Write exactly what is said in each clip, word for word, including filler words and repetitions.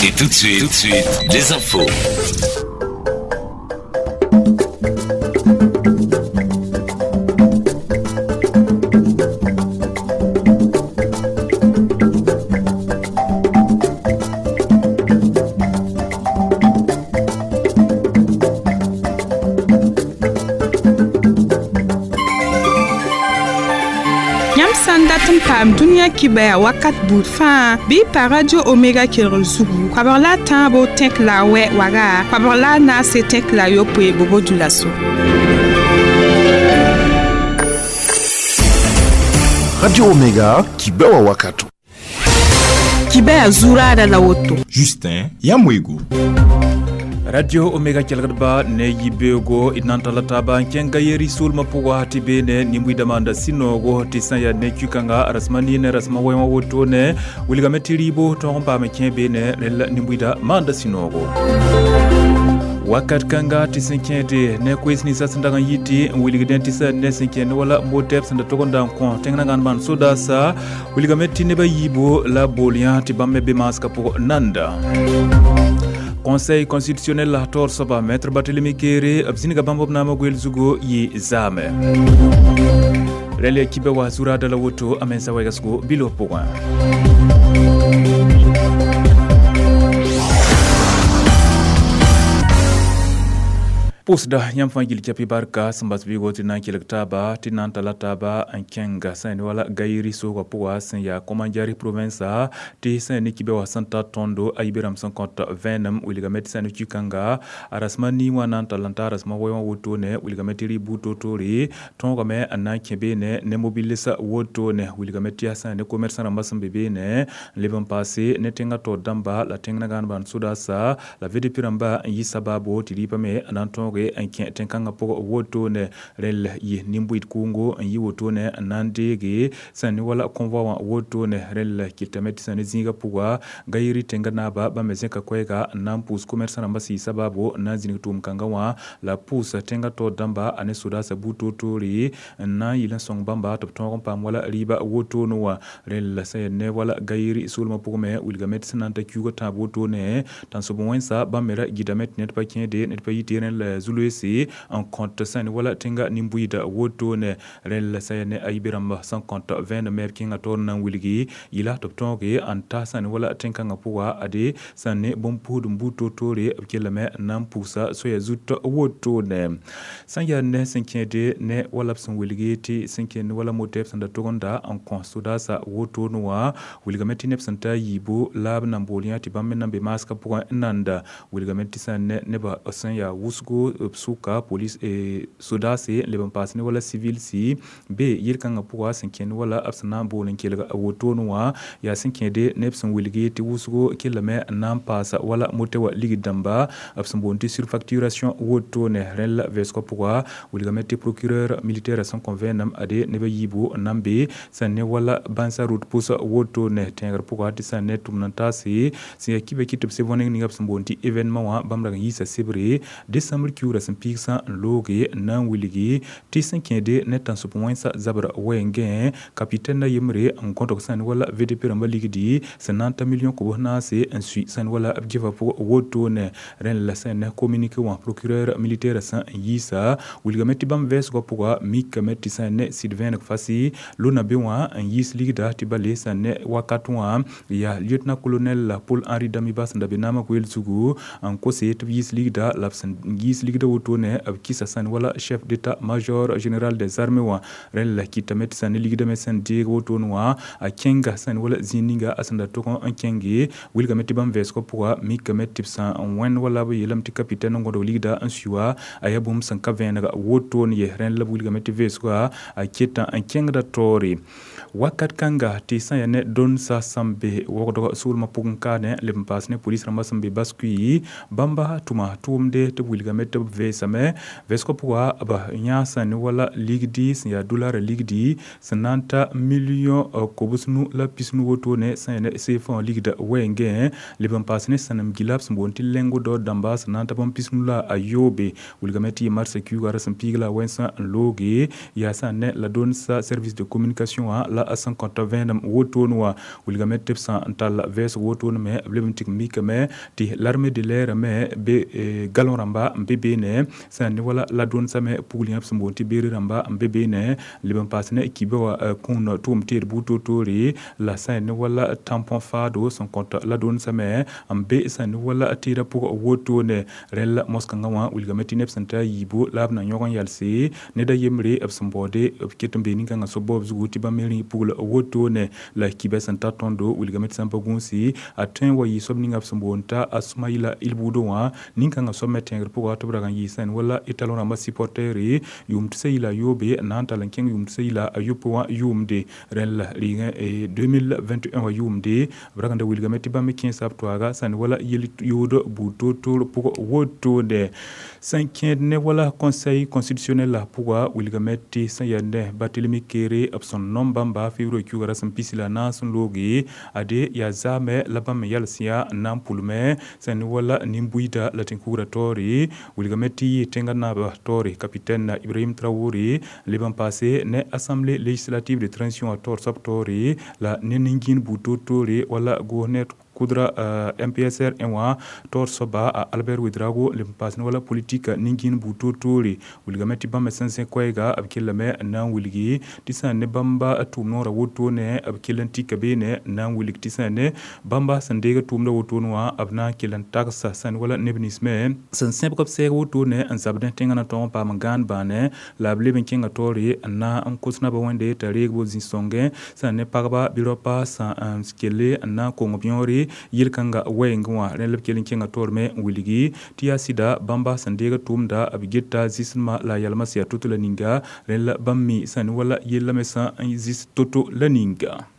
Et tout de suite, tout de suite, les infos. Paam dũniyã kibaya wakat buud fãa bɩ pa Radio Omega kelgr zugu koabg la a tãabo tẽk la a wɛ waga koabg la a naase tẽk la a yopoe bobo dulaso. Radio Omega kibewa wakato. Kibaya zuraada la woto. Justin Yamwego. Radio Omega kelgdba ne yibego inantala taba kẽnga yeri sulma pʋga tɩ beene nin-buiidã maanda sũ-noogo tɩ sã n yaa ne kũkãnga rasma niine rasma wɛ wã wotone wilgame tɩ rɩɩbo tõog n paam kẽ beene rel nin-buiidã maanda sũ-noogo. Wakat kãnga tɩ sẽn kẽede ne koees ninsã sẽn dag n yɩ tɩ n wilgdẽ tɩ sã ne sẽn kẽ ne wala motɛb sẽn da tog n da n kõ tẽng na gãn maan sodaasa wilgame tɩ neb a yiibo la bool yã tɩ bãmb me be maasgã pʋg nanda. Conseil constitutionnel la tor soba maître Barthélémy Kéré b zĩniga bãmb b naamã goeel zugo yɩ zaame. Rẽl kibe wa zuraada la woto a mensa wɛgsgo bilo pʋgẽ. Pʋʋsda yãmb fãa gil kɛpɩ barka sẽn bas vɩɩgo tɩ na n kelg taaba tɩ na n tala taaba n kẽnga sã ne wala gayri soogã pʋga sẽn yaa Komandjari province tɩ sã ne kibe wa sẽn ta tõndo a yibe rãmb sẽn kõt vẽenem wilgame tɩ sã ne kũkãnga a rasma nii wã na n tall n ta rasma wɛ wã wotone wilgame tɩ rɩ buud toor-toore tõogame n na n kẽ beene ne mobilsa wotone wilgame tɩ yaa sã ne commerçant rãmbã sẽn be beene n leb n paase ne tẽngã taoor dãmba la tẽng na gãan bãan sodaasa la V D P rãmba n yi sabaabo tɩ rɩɩbã me n na n tõoge n kẽ tẽn-kãngã pʋg wotone rel yɩ nin-bʋɩd kʋʋngo n yi wotone n na n deege sã ne wala convoi wã wotone rel kɩtame tɩ sã ne zĩigã pʋga gayri tẽngã naaba bãmb me zẽka koɛɛga n na n pʋʋs commerçant rãmbã sɩ sabaabo n na n zĩnig tʋʋm-kãngã wã la pʋʋs tẽngã taoor dãmba a ne sodaasã buud toor-toore n na n yɩl n sõng bãmba tɩ b tõog n paam wala rɩɩba wotone wã rel sã yaa ne wala gayri soolmã pʋgẽ me wilgame tɩ sẽn na n ta kiuugã tãab wotone tãnsob wẽnsa bãmb me ra gɩdame tɩ ned pa kẽede ned pa yɩ tɩ rẽnd zuloese n kõt sã ne wala tẽngã nin-buiidã wotone rẽl sã yaa ne a yibe rãmba sẽn kõt vẽenem me b kẽngã taoor n na n wilgi yɩla tɩ b tõoge n ta sã ne wala tẽn-kãngã pʋga ade sã ne bõn-pʋʋsd buud toor-toore b kellame n na n pugsa soaya zut wotone sã n yaa ne sẽn kẽede ne wala b sẽn wilgi tɩ sẽn kẽ ne wala motɛb sẽn da tog n da n kõ sodaasã wotone wã wilgame tɩ neb sẽn ta yiibo la b nan bool yã tɩ bãmb me nan be maasgã pʋgẽ n nanda wilgame tɩ sã ne nebã sẽn yaa wʋsgo b sʋka police sodaase n leb n paas ne wala civil si be yel-kãngã pʋga sẽn kẽ ne wala b sẽn na n bool n kelg a wotone wã yaa sẽn kẽede neb sẽn wilgi tɩ wʋsgo kellame n na n paasa wala motɛ wã ligd dãmba b sẽn boond tɩ surfacturation wotone rẽnd la vɛɛsgã pʋga wilgame tɩ procureur militaire sẽn kõ vẽenem ade neb a yiibo n na n be sã ne wala bãnsa route pʋs wotone tẽegr pʋga tɩ sã ne tʋmd n taase sẽn yaa kibe kɩ tɩ b se võneng ninga b sẽn boond tɩ événement wã bãmb rag n yiisa sebre décembre kiuurã sẽn piigsã n looge n na n wilgi tɩ sẽn kẽede ne tãnsʋp wẽnsa zabra wɛɛngẽ kapitɛn a yembre n gõdg sã ne wala V D P rãmbã ligdi sẽn na n ta million kobs naase n sui sã ne wala b geva pʋg wotone rẽnd la sã ne communiqué wã procureur militaire sã n yiisa wilgame tɩ bãmb vɛɛsgã pʋga mikame tɩ sã ne sɩd vẽeneg fasi lona be wã n yiis ligda tɩ ba le sã ne wakat wã yaa lieutenant colonel Paul Henri Damiba sẽn da be naamã goeel zugu n kose tɩ b yiis ligda la b sẽn yiis ligda wotone b kɩsa sã ne wala chef d'état-major général des armées wã rẽnd la kɩtame tɩ sã ne ligda me sẽn deeg wotone wã a kẽnga sã ne wala zĩig ninga a sẽn da tog n kẽnge wilgame tɩ bãmb vɛɛsgã pʋga mikame tɩ b sã n wẽnd wala b yeelame tɩ capitaine n gõdg ligda n sui wa a yaa bũmb sẽn ka vẽenega wotone ye rẽnd la b wilgame tɩ vɛɛsgã a keta n kẽngda taoore wakat kãnga tɩ sã n yaa ne dõnsa sẽn be wogdg soolmã pʋgẽ kaane leb n paas ne police rãmbã sẽn be baskui bãmba tʋma tʋʋmde tɩ b wilgame tɩ tɩ b veesame vɛɛsgã pʋga b yã sẽn ne wala ligdi sẽn yaa dolara ligdi sẽn na n ta million kobs-nu la pis-nu wotone sẽn yaa ne C F A wã ligda wɛɛngẽ leb n paas ne sãnem gila b sẽn boond tɩ lingot d'or dãmba sẽn na n ta bõn pis-nu la a yoobe. Wilgame tɩ yɩ marsã kiuugã ra sẽn piig la a wẽnsã n looge yaa sã n ne la dũnsa service de communication wã la a sẽn kõta vẽenem wotone wã. Wilgame tɩ b sã n tall vɛɛsg wotone me b leb n tɩg mikame tɩ l'armée de l'air me be galon rãmba n be beene sã n ne wala la dũnsã me pugl yã b sẽn boond tɩ béret rãmba n be beene leb n paas ne kiba wã kũun tʋʋm teed buud toor-toore la sã n ne wala tampon faado sẽn kõt la dũnsã me n be sã n ne wala tɩɩdã pʋg wotone. Rẽn la moskãngã wã wilgame tɩ neb sẽn ta a yiibu la b na yõg n yalse ned a yembre b sẽn baoode b ket n bee nin-kãngã sob baoob zugu tɩ bãmb me rẽ pugl wotone la kibã sẽn ta tõndo. Wilgame tɩ sã n pa gũusi a tõe n wa yɩ soab ninga b sẽn boond t'a a Sumayla Ilbudo wã nin-kãngã soab me tẽegr pʋga tɩ b rag n yɩ sẽn wala étalon rãmbã supporter yʋʋm tɩ yi la a yoobe n na n tall n kẽng yʋʋm tɩ yi la a yopoe wã yʋʋmde. Rẽn la rɩɩgẽ deux mille vingt et un wã yʋʋmde b rag n da wilgame tɩ bãmb me kẽesa b toaaga sẽn wala yel-yood buud toor-toor pʋg wotone. Sẽn kẽed ne wala Conseil constitutionnel la pʋga wilgame tɩ sẽn yaa ne Barthélémy Kéré b sẽn nom bãmba février kiuugã ra sẽn pisi la naas n looge ade yaa zaame la bãmb me yals yaa n na n pʋlme sẽn ne wala nin-buiida la tẽn-kugrã taoore. Wilgame tɩ yɩ tẽngã naab taoore capitaine Ibrahim Traoré leb n paase ne Assemblée législative de transition a taoor soab taoore la ne nin-gĩin buud toor-toore wala goosne kudra uh, M P S R wã taoor soaba a Albert Ouédraogo leb n paas ne wala politique nin-gĩin buud toor-toore. Wilgame tɩ bãmb me sẽn zẽ koɛɛga b kellame n na n wilgi tɩ sã n ne bãmba tʋʋm noorã wotone b kell n tika beene n na n wilg tɩ sã n ne bãmba sẽn deeg tʋʋmdã wotone wã b na n kell n tagsa sã n wala neb nins me sẽn sẽbg b sɛɛg wotone n zabdẽ tẽngã na tõog n paam n gãan bãane la b leb n kẽnga taoore n na n kos naba wẽnde t'a reeg bo zĩ-sõngẽ sã n ne pagba bɩ raopa sã n kelle n na n kong b yõore yel-kãnga wɛɛngẽ wã. Rẽ la b kell n kẽnga taoor me n wilgi tɩ yaa sɩda bãmba sẽn deeg tʋʋmda b geta zɩsdmã la a yalmã sẽn yaa to-to la ninga. Rẽ la bãmb mi sã ne wala yella me sã n zɩs to-to la ninga.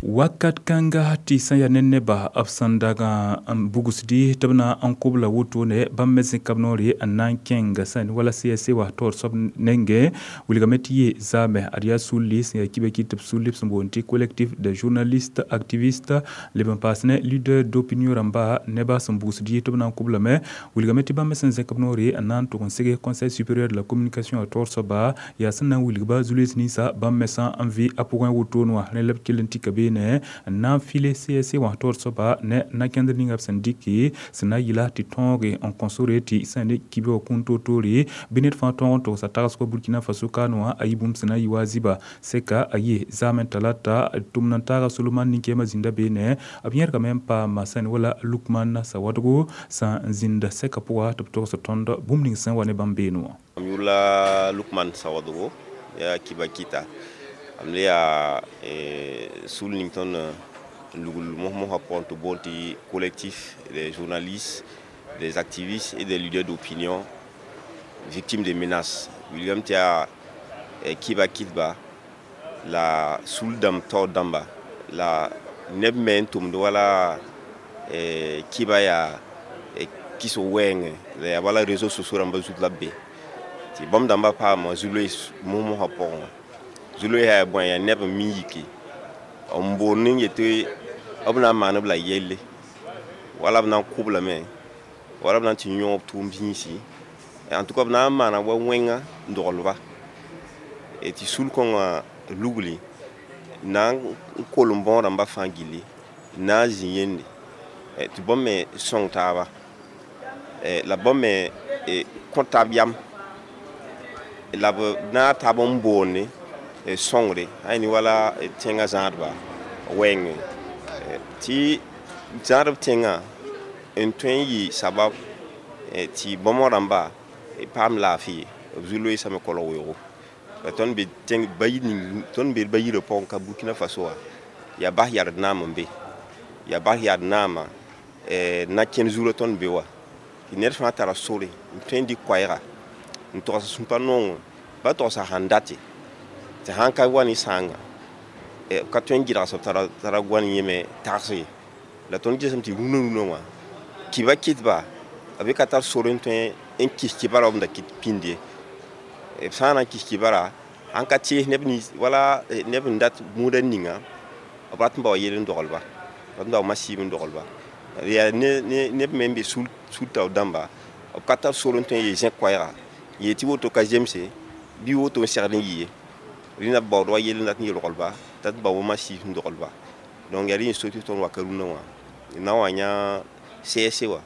Wakat kãnga tɩ sẽn yaa ne neba b sẽn dag n bugsdi tɩ b na n kobla wotone bãmb me zẽka b noore n na n kẽng sã ne wala C S C wa taoor soab nengẽ. Wilgame tɩ yɩ zaame ad yaa sulli sẽn yaa kiba kɩt tɩ b sulli b sẽn boond tɩ Collectif de journalistes activistes leb n paas ne leader d'opinion rãmba neba sẽn bugsd tɩ b na n koblame. Wilgame tɩ bãmb me sẽn zẽk b noore n na n tʋg n seg Conseil supérieur de la communication a taoor soaba yaa sẽn na n wilgba zu-loees ninsã bãmb me sã n vɩ a pʋgẽ wotone wã. Rẽ la b kell n tika beene n na n file C S C wã taoor soaba ne na-kẽndr ninga b sẽn dɩke sẽn na n yɩla tɩ tõoge n kõ sore tɩ sã ne kibe wã kũun toor-toore bɩ ned fãa tõog n togsa tagsgɔ Burkina Faso kaane wã a yɩ bũmb sẽn na n yɩ wa a zɩba sɛka a yɩ zaame talata tʋmd n taaga Soloman nin-kɛɛmã zĩnda beene b yẽrgame n paama sã ne wala Lukman Sawadgo sã n zĩnd sɛka pʋga tɩ b togs tõnd bũmb ning sẽn wa ne bãmb beene wã. Am yʋla Lukman Sawadogo ya Kiba Kita am le yaa sul ning tõnd lugl mos-mosã pʋgẽ tɩ boond tɩ Collectif des journalistes, des activistes et des leaders d'opinion victimes de menaces. Wilgame tɩ yaa kiba kɩtba la sul dãmb taoor dãmba la neb me n tʋmd wala kiba yaa kɩsg wɛɛngẽ la yaa bala réseaux sociaux rãmbã zut la b be tɩ bãmb dãmbã paama zu-loees mos-mosã pʋgẽ wã. Zu-loees yaa bõe yaa neb n mi yiki n boond n yetɩ b na n maan b la yelle wala b na n kʋblame wala b na n tɩ yõog b tʋʋm zĩisi, en tout cas b na n maana wa wẽnga n doglba tɩ sul-kõngã lugli na n kolem bõog rãmbã fãa gilli na n zĩ yende tɩ bãmb me sõng taaba la bãmb me kõ tab yam la b naag taab n boonde sõngre a ne wala tẽngã zãadba wɛɛngẽ tɩ zãadb tẽngã n tõe n yɩ sabab tɩ bãmb rãmba paam laafɩ b zu-loeesame kolg weoogo. La tõnd be tẽng bayi ning tõnd be bayirã pʋgẽ ka Burkina Faso wã yaa bas yard naam n be yaa bas yard naamã na-kẽnd zurã tõnd be wa tɩ ned fãa tara sore n tõe n dɩk koɛɛga n togs sũpa nongo ba togsa sãn date tɩ sãn ka wa ne sãanga b ka tõe n gɩdgs b tara tara goan yẽ me tags ye. La tõnd gesem tɩ rũnã rũnã wã kiba kɩtba B ka tar sor n tõe n kis kibara b da kɩt pĩnd ye. B sã n na n kis kibara, sãn ka tees neb nins wala neb n dat bũudã ninga, b rat n bao yell n dogelba, rat n bao masiib n dogelba. Yaa ne neb me n be sul taoor dãmba, b ka tar sor n tõe n yeel zẽk koɛɛga yeel tɩ woto ka zemse bɩ woto n segd n yɩ ye. Rẽnda b baood wa yell n dat n yel rogelba, dat n bao masiib n dogelba. Donc yaa rẽ n so tɩ tõnd waka rũnã wã na n wa yã C S C wã.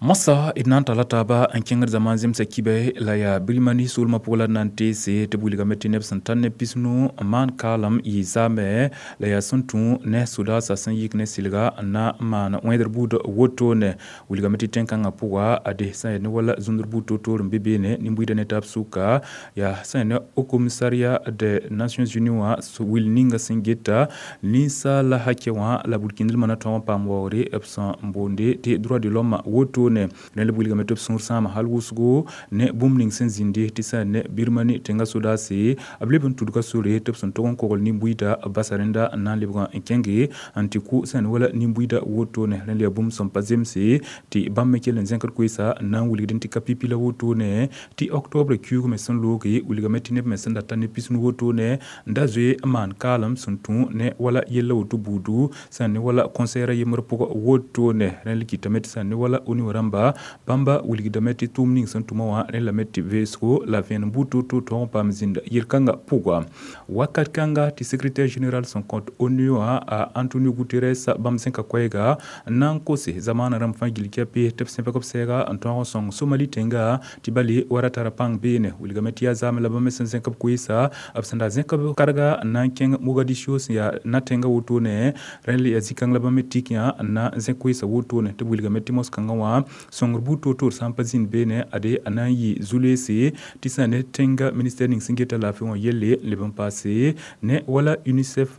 Mosa d na n talla taaba n kẽngd zamaan zemsa kibɛ la yaa Birmani soolmã pʋg la d na n teese tɩ b wilgame tɩ neb sẽn tar neb pisnu n maan kaalem yɩ zaamɛ la yaa sẽn tũ ne sodaasã sẽn yik ne sɩlga n na n maan wẽedr buud wotone. Wilgame tɩ tẽn-kãngã pʋga ade sã n yaa ne wala zũndr buud toor-toor n be beene nin-buiidã ne taab sʋka yaa sã n yaa ne Haut Commissariat des Nations Unies wã wil ninga sẽn geta ninsaala hakɛ wã la burkĩndlmã na tõog n paam waoogre b sẽn boonde tɩ droit de l'homme wotone. Rẽnd b wilgame tɩ b sũur sãama hal wʋsgo ne bũmb ning sẽn zĩndi tɩ sã ne Birmani tẽngã sodaase b leb n tudga sore tɩ b sẽn tog n kogl nin-buiidã basa rẽnda n na n lebg n kẽnge n tɩ kʋ sã n wala nin-buiidã wotone. Rẽnd yaa bũmb sẽn pa zemse tɩ bãmb me kell n zẽkd koeesa n na n wilgd tɩ ka pipi la wotone tɩ octobre kiuug me sẽn looge wilgame tɩ neb me sẽn da tar ne pisnu wotone n da zoe n maan kaalem sẽn tũ ne wala yella woto buudu sã n ne wala conseillère yembr pʋgã wotone. Rẽnd kɩtame tɩ sã n ne wala ONU rãmba bãmba wilgdame tɩ tʋʋm ning sẽn tʋma wã rẽ lame tɩ veesgo la vẽenem buud toor-toor tõog n paam zĩnda yel-kãngã pʋga. Wakat kãnga tɩ secrétaire général sẽn kõt ONU wã a Antonio Guterres bãmb zẽka koɛɛga n na n kose zamaanã rãmb fãa gill kɛpe tɩ b sẽbg b sɛɛga n tõog n sõng Somali tẽnga tɩ bale wa ra tara pãng beene. Wilgame tɩ yaa zaame la bãmb me sẽn zẽk b koeesa b sẽn da zẽk b karga n na n kẽng Mogadiscio sẽn yaa na-tẽngã wotone. Rẽnd yaa zĩ-kãng la bãmb me tik yã n na n zẽk koeesa wotone tɩ b wilgame tɩ mos-kãngã wã sõngr buud toor-toor sã n pa zĩnd beene ade a na n yɩ zu-leese tɩ sã ne tẽnga ministère ning sẽn geta laafɩ wã yelle leb n paase ne wala UNICEF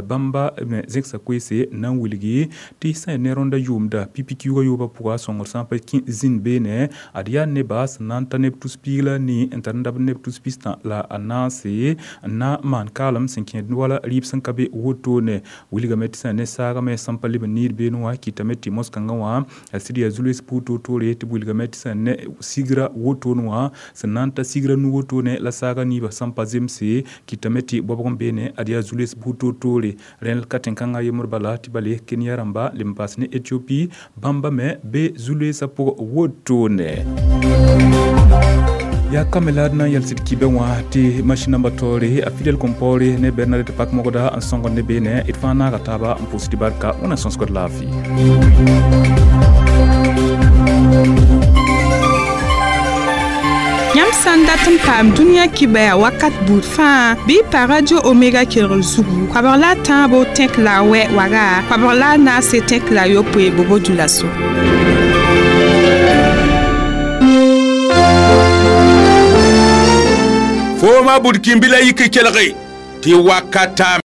bãmba me zẽksa koeese n na n wilgi tɩ sã ne rõndã yʋʋmda pipi kiuugã yoobã pʋga sõngr sã n pa zĩnd beene ad yaa neba sẽn na n ta neb tus piig la nii n tar n dabd neb tus pistã la a naase n na n maan kaalem sẽn kẽed wala rɩɩb sẽn ka be wotone. Wilgame tɩ sã ne saagame sẽn pa leb n niid beene wã kɩtame tɩ mos-kãngã wã a sɩd yaa zu-lees buud toor-toore tɩ b wilgame tɩ sã ne sigra wotone wã sẽn na n ta sigra nu wotone la saaga niibã sẽn pa zemse kɩtame tɩ bɔbg n beene ad yaa zu-lees buud toor-toore. Rẽnd ka tẽn-kãngã yembr bala tɩ bale Kenya rãmba leb n paas ne Ethiopie bãmba me be zu-leesã pʋgã wotone. Yaa kame la d na n yals d kibɛ wã tɩ masĩn namba taoore a Fidel Compaoré ne Bernadette Pak-Mogda n sõngd ne beene d fãa naaga taaba n pʋʋs tɩ barka wẽna sõsgd laafɩ. Yãmb sã n dat n paam dũniyã kibɛa wakat buud fãa bɩ pa Radio Omega kelgr zugu koabg la a tãabo tẽk la a wɛ waga koabg la a naase tẽk la a yopoe bobo dulaso. Fooma bud kĩmbi la yik kelge tɩ wakata.